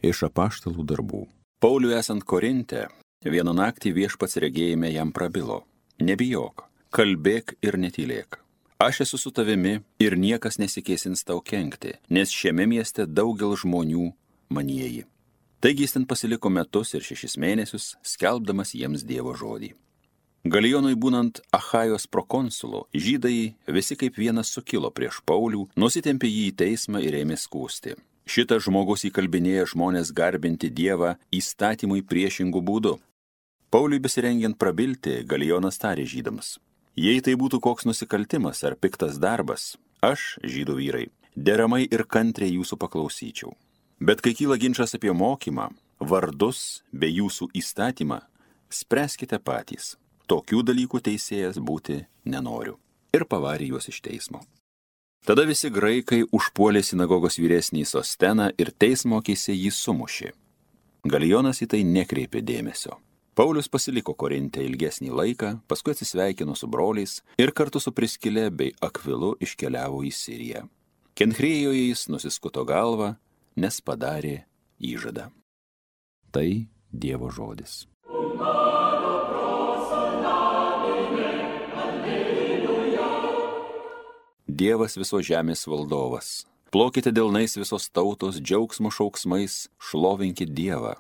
Iš apaštalų darbų. Pauliui esant Korinte, vieną naktį Viešpats regėjime jam prabilo: nebijok, kalbėk ir netylėk. Aš esu su tavimi ir niekas nesikėsins tau kenkti, nes šiame mieste daugel žmonių manieji. Taigi jis ten pasiliko metus ir 6 mėnesius, skelbdamas jiems Dievo žodį. Galijonui būnant Achajos prokonsulu, žydai visi kaip vienas sukilo prieš Paulių, nusitempė jį į teismą ir ėmė skųsti. Šitas žmogus įkalbinėja žmonės garbinti Dievą įstatymui priešingų būdų. Pauliui besirengiant prabilti, Galijonas tarė žydams: jei tai būtų koks nusikaltimas ar piktas darbas, aš, žydų vyrai, deramai ir kantriai jūsų paklausyčiau. Bet kai kyla ginčas apie mokymą, vardus bei jūsų įstatymą, spręskite patys. Tokių dalykų teisėjas būti nenoriu. Ir pavarė juos iš teismo. Tada visi graikai užpuolė sinagogos vyresnį Sosteną ir teismo akyse jį sumušė. Galijonas į tai nekreipė dėmesio. Paulius pasiliko Korinte ilgesnį laiką, paskui atsisveikino su broliais ir kartu su Priskile bei Akvilu iškeliavo į Siriją. Kenchrejoje jis nusiskuto galvą, nes padarė įžadą. Tai Dievo žodis. Dievas visos žemės valdovas. Plokite delnais visos tautos, džiaugsmo šauksmais, šlovinkit Dievą.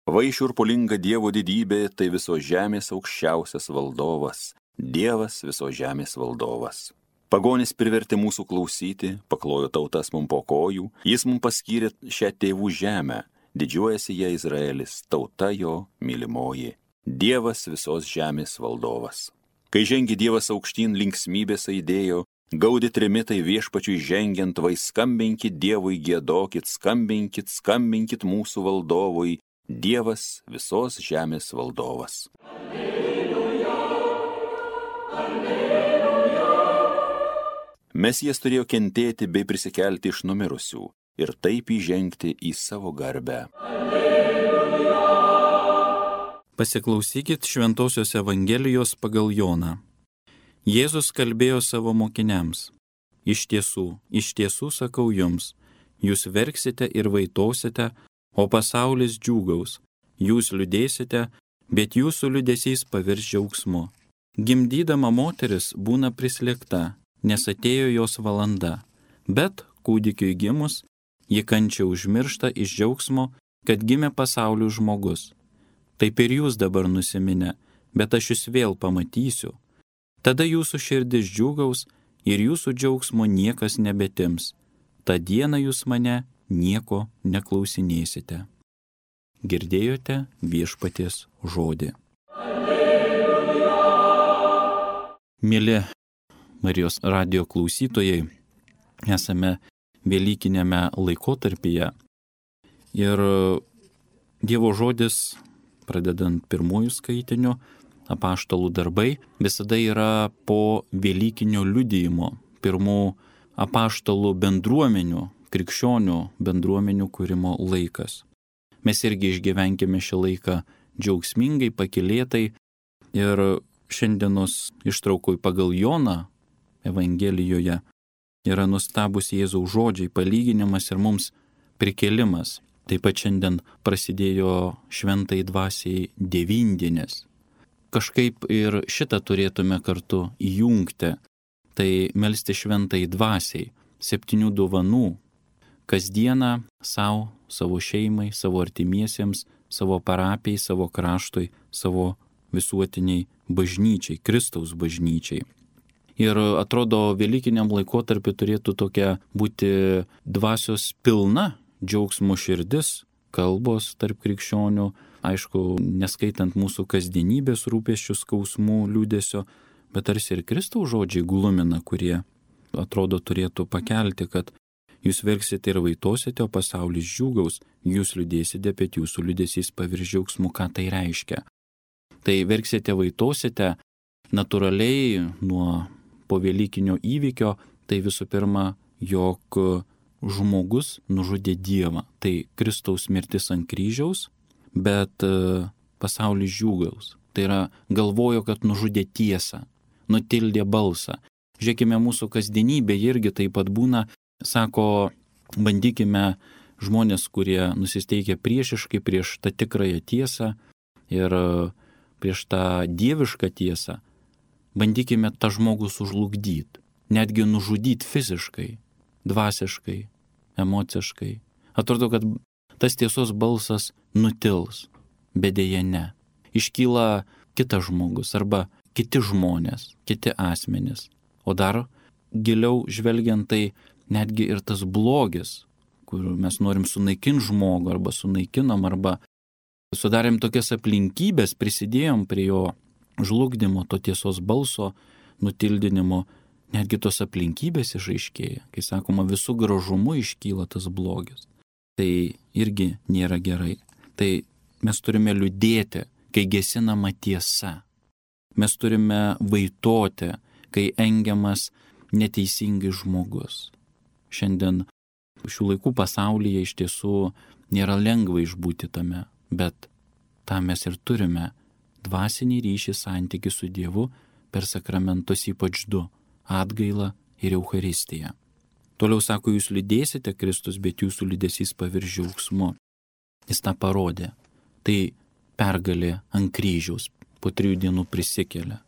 Va šiurpulinga Dievo didybė, tai visos žemės aukščiausias valdovas, Dievas visos žemės valdovas. Pagonis privertė mūsų klausyti, paklojo tautas mum po kojų, jis mum paskyrė šią tėvų žemę, didžiuojasi ją Izraelis, tauta jo mylimoji, Dievas visos žemės valdovas. Kai žengi Dievas aukštyn, linksmybės aidėjo, gaudi trimitai Viešpačiui žengiant, vai skambinkit Dievui, giedokit, skambinkit, skambinkit mūsų valdovui, Dievas visos žemės valdovas. Alleluja, alleluja. Mesijas turėjo kentėti bei prisikelti iš numirusių ir taip įžengti į savo garbę. Alleluja. Pasiklausykit Šventosios Evangelijos pagal Joną. Jėzus kalbėjo savo mokiniams: iš tiesų sakau jums, jūs verksite ir vaitosite, o pasaulis džiūgaus. Jūs liūdėsite, bet jūsų liūdesys pavirs džiaugsmu. Gimdydama moteris būna prislėgta, nes atėjo jos valanda, bet kūdikiui gimus, ji kančią užmiršta iš džiaugsmo, kad gimė pasaulių žmogus. Taip ir jūs dabar nusiminę, bet aš jūs vėl pamatysiu. Tada jūsų širdis džiūgaus ir jūsų džiaugsmo niekas nebetims. Ta diena jūs mane nieko neklausinėsite. Girdėjote Viešpaties žodį. Alleluja. Mėly Marijos radijo klausytojai, esame velykinėme laikotarpyje ir Dievo žodis, pradedant pirmųjų skaitinių, apaštalų darbai, visada yra po velykinio liudijimo, pirmų apaštalų bendruomenių, krikščionių bendruomenių kūrimo laikas. Mes irgi išgyvenkime šį laiką džiaugsmingai, pakylėtai ir šiandienos ištraukoj pagal Joną Evangelijoje yra nustabus Jėzaus žodžiai, palyginimas ir mums prikėlimas. Taip pat šiandien prasidėjo šventai dvasiai devyndienės. Kažkaip ir šitą turėtume kartu įjungti, tai melsti šventai dvasiai, 7 dovanų, kasdieną savo, savo šeimai, savo artimiesiems, savo parapijai, savo kraštui, savo visuotiniai bažnyčiai, Kristaus bažnyčiai. Ir atrodo, velykiniam laikotarpiu turėtų tokia būti dvasios pilna, džiaugsmo širdis, kalbos tarp krikščionių, aišku, neskaitant mūsų kasdienybės rūpesčių, skausmų, liūdesio, bet tarsi ir Kristaus žodžiai glumina, kurie atrodo turėtų pakelti, kad jūs verksite ir vaitosite, o pasaulis džiūgaus, jūs liūdėsite, bet jūsų liūdesys pavirs džiaugsmu. Ką tai reiškia? Tai verksite, vaitosite, natūraliai nuo povelykinio įvykio, tai visų pirma, jog žmogus nužudė Dievą. Tai Kristaus mirtis ant kryžiaus, bet pasaulis džiūgaus. Tai yra, galvojo, kad nužudė tiesą, nutildė balsą. Žiūrėkime, mūsų kasdienybė irgi taip pat būna, sako, bandykime žmonės, kurie nusisteikia priešiškai prieš tą tikrąją tiesą ir prieš tą dievišką tiesą, bandykime tą žmogų sužlugdyti, netgi nužudyti fiziškai, dvasiškai, emociškai. Atrodo, kad tas tiesos balsas nutils, bet dėja ne. Iškyla kitas žmogus arba kiti žmonės, kiti asmenys. O dar giliau žvelgiant, tai netgi ir tas blogis, kur mes norim sunaikinti žmogų arba sunaikinom, arba sudarėm tokias aplinkybės, prisidėjom prie jo žlugdymo, to tiesos balso nutildinimo, netgi tos aplinkybės išaiškėja. Kai sakoma, visų gražumu iškyla tas blogis. Tai irgi nėra gerai. Tai mes turime liūdėti, kai gesinama tiesa. Mes turime vaitoti, kai engiamas neteisingai žmogus. Šiandien šių laikų pasaulyje iš tiesų nėra lengva išbūti tame, bet tą mes ir turime dvasinį ryšį, santykį su Dievu per sakramentus, ypač du - atgailą ir Eucharistiją. Toliau sako, jūs lydėsite Kristus, bet jūsų lydesys pavirs džiaugsmu. Jis tą parodė. Tai pergalė ant kryžiaus, po 3 dienų prisikelia.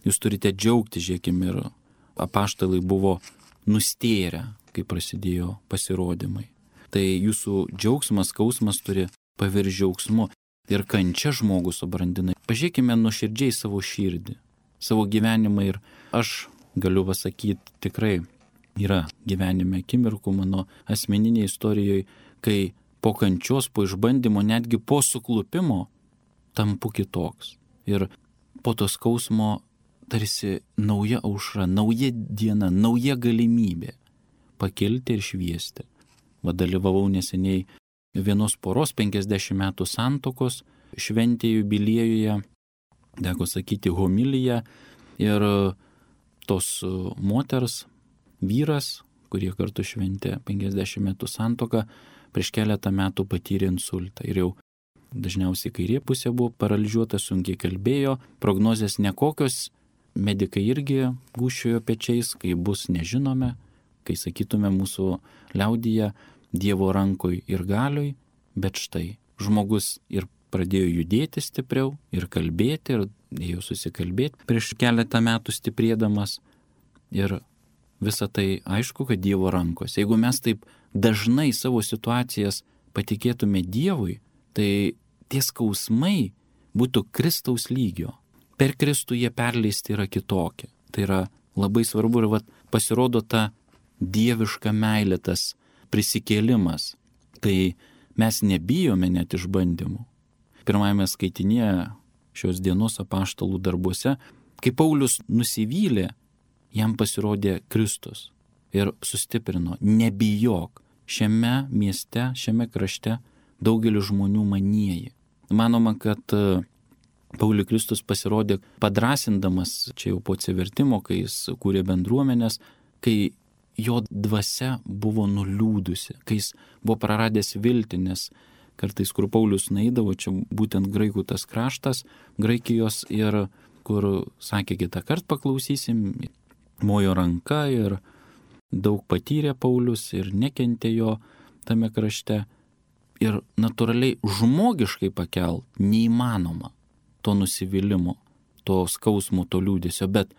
Jūs turite džiaugti, žiūrėkime, ir apaštalai buvo nustėrę, kai prasidėjo pasirodymai. Tai jūsų džiaugsmas, skausmas turi pavirsti džiaugsmu. Ir kančia žmogus subrandina. Pažiūrėkime nuoširdžiai savo širdį, savo gyvenimą. Ir aš galiu pasakyti, tikrai yra gyvenime akimirkų mano asmeninėje istorijoje, kai po kančios, po išbandymo, netgi po suklupimo tampu kitoks. Ir po to skausmo tarsi nauja aušra, nauja diena, nauja galimybė pakilti ir šviesti. Dalyvavau neseniai vienos poros 50 metų santuokos šventėje jubiliejuje, teko sakyti homiliją, ir tos moters vyras, kurie kartu šventė 50 metų santuoką, prieš keletą metų patyrė insultą. Ir jau dažniausiai kairė pusė buvo paralyžiuota, sunkiai kalbėjo, prognozės nekokios, medikai irgi gūžčiojo pečiais, kai bus nežinome, kai sakytume mūsų liaudyje, Dievo rankoj ir galioj, bet štai žmogus ir pradėjo judėti stipriau ir kalbėti, ir ėjo susikalbėti prieš keletą metų stiprėdamas. Ir visa tai aišku, kad Dievo rankos. Jeigu mes taip dažnai savo situacijas patikėtume Dievui, tai tie skausmai būtų Kristaus lygio. Per Kristų jie perleisti yra kitokie. Tai yra labai svarbu ir pasirodo ta dieviška meilė, tas prisikėlimas. Tai mes nebijome net išbandymų. Pirmajame skaitinėje šios dienos apaštalų darbuose, kai Paulius nusivylė, jam pasirodė Kristus ir sustiprino: nebijok, šiame mieste, šiame krašte daugelis žmonių manieji. Manoma, kad Pauliui Kristus pasirodė padrasindamas, čia jau po atsivertimo, kai jis kūrė bendruomenės, kai jo dvasia buvo nuliūdusi, kai jis buvo praradęs viltį, nes kartais, kur Paulius nueidavo, čia būtent graikų tas kraštas, Graikijos, ir kur sakė, kitą kartą paklausysim, mojo ranka, ir daug patyrė Paulius ir nekentė jo tame krašte. Ir natūraliai žmogiškai pakelt neįmanoma to nusivylimo, to skausmo, to liūdesio, bet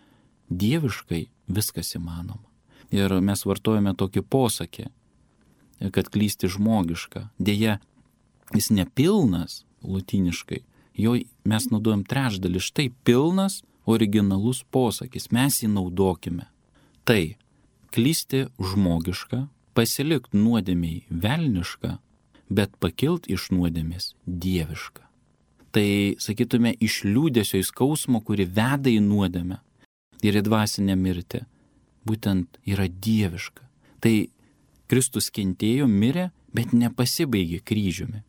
dieviškai viskas įmanoma. Ir mes vartojame tokį posakį, kad klysti žmogiška. Deja, jis nepilnas lotyniškai, jo mes naudojam trečdalį. Štai pilnas, originalus posakis, mes jį naudokime. Tai klysti žmogiška, pasilikt nuodėmiai velniška, bet pakilt iš nuodėmės dieviška. Tai, sakytume, iš liūdesio į skausmo, kuri veda į nuodėmę ir į dvasinę mirtį, būtent yra dieviška. Tai Kristus kentėjo, mirė, bet nepasibaigė kryžiumi.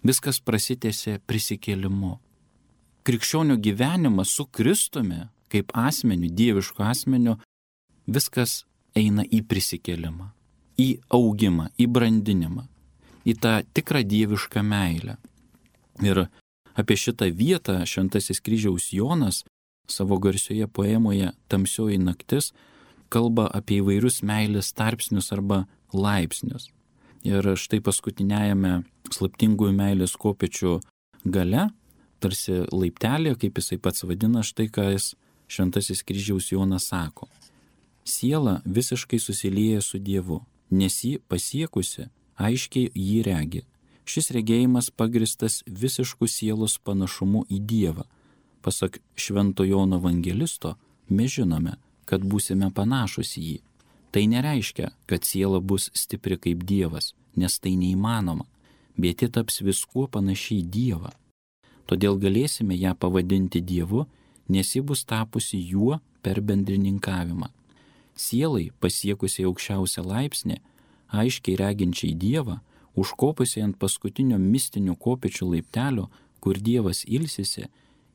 Viskas prasitęsė prisikėlimu. Krikščionių gyvenimas su Kristumi, kaip asmeniu, dievišku asmeniu, viskas eina į prisikėlimą, į augimą, į brandinimą, į tą tikrą dievišką meilę. Ir apie šitą vietą Šventasis Kryžiaus Jonas savo garsioje poemoje Tamsioji naktis kalba apie įvairius meilės tarpsnius arba laipsnius. Ir štai paskutiniajame slaptingųjų meilės kopėčių gale, tarsi laiptelė, kaip jisai pats vadina, štai ką jis Šventasis Kryžiaus Jonas sako. Siela visiškai susilieja su Dievu, nes jį pasiekusi, aiškiai jį regi. Šis regėjimas pagristas visišku sielos panašumu į Dievą. Pasak Švento Jono Evangelisto, mes žinome, kad būsime panašus į jį. Tai nereiškia, kad siela bus stipri kaip Dievas, nes tai neįmanoma, bet ji taps viskuo panašiai į Dievą. Todėl galėsime ją pavadinti Dievu, nes ji bus tapusi juo per bendrininkavimą. Sielai, pasiekusiai aukščiausią laipsnį, aiškiai reginčiai Dievą, užkopusiai ant paskutinio mistinių kopėčių laiptelio, kur Dievas ilsisi,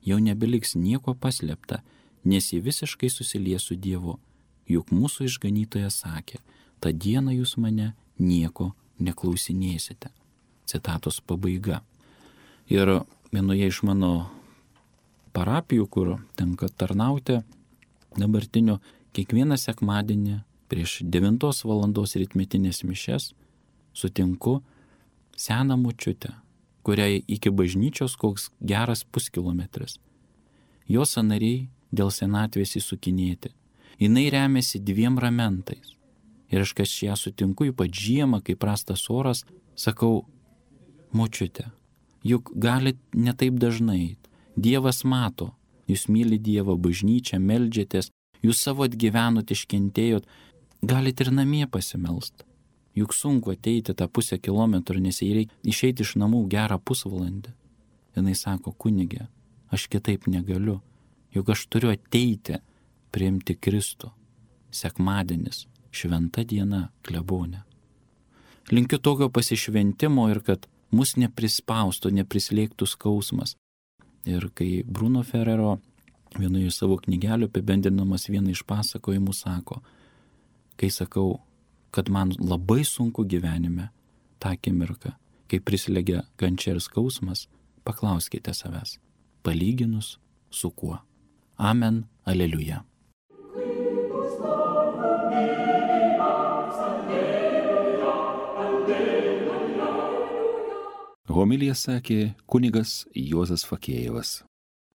jau nebeliks nieko paslėpta, nes ji visiškai susilies su Dievu. Juk mūsų išganytojas sakė, tą dieną jūs mane nieko neklausinėsite. Citatos pabaiga. Ir vienoje iš mano parapijų, kur tenka tarnauti dabartiniu, kiekvieną sekmadienį prieš 9 valandos rytmetinės mišias sutinku seną močiutę, kuriai iki bažnyčios koks geras puskilometris. Jos sąnariai dėl senatvės įsukinėti. Jinai remiasi 2 ramentais. Ir aš, kai ją sutinku, ypač žiemą, kai prastas oras, sakau, močiute, juk galit ne taip dažnai. Dievas mato, jūs myli Dievą, bažnyčią, meldžiatės, jūs savo atgyvenot, iškentėjot, galit ir namie pasimelst. Juk sunku ateiti tą 0,5 kilometro, nes jai reikia išeiti iš namų gerą pusvalandį. Jinai sako, kunige, aš kitaip negaliu, juk aš turiu ateiti, priimti Kristų. Sekmadienis, šventa diena, klebonė. Linkiu tokio pasišventimo ir kad mus neprispaustų, neprislėgtų skausmas. Ir kai Bruno Ferrero vienoje savo knygelių apibendrinamas vieną iš pasakojimų sako, kai sakau, kad man labai sunku gyvenime tą akimirką, kai prislėgia kančia ir skausmas, paklauskite savęs, palyginus su kuo. Amen, aleliuja. Homiliją sakė kunigas Juozas Fakėjevas.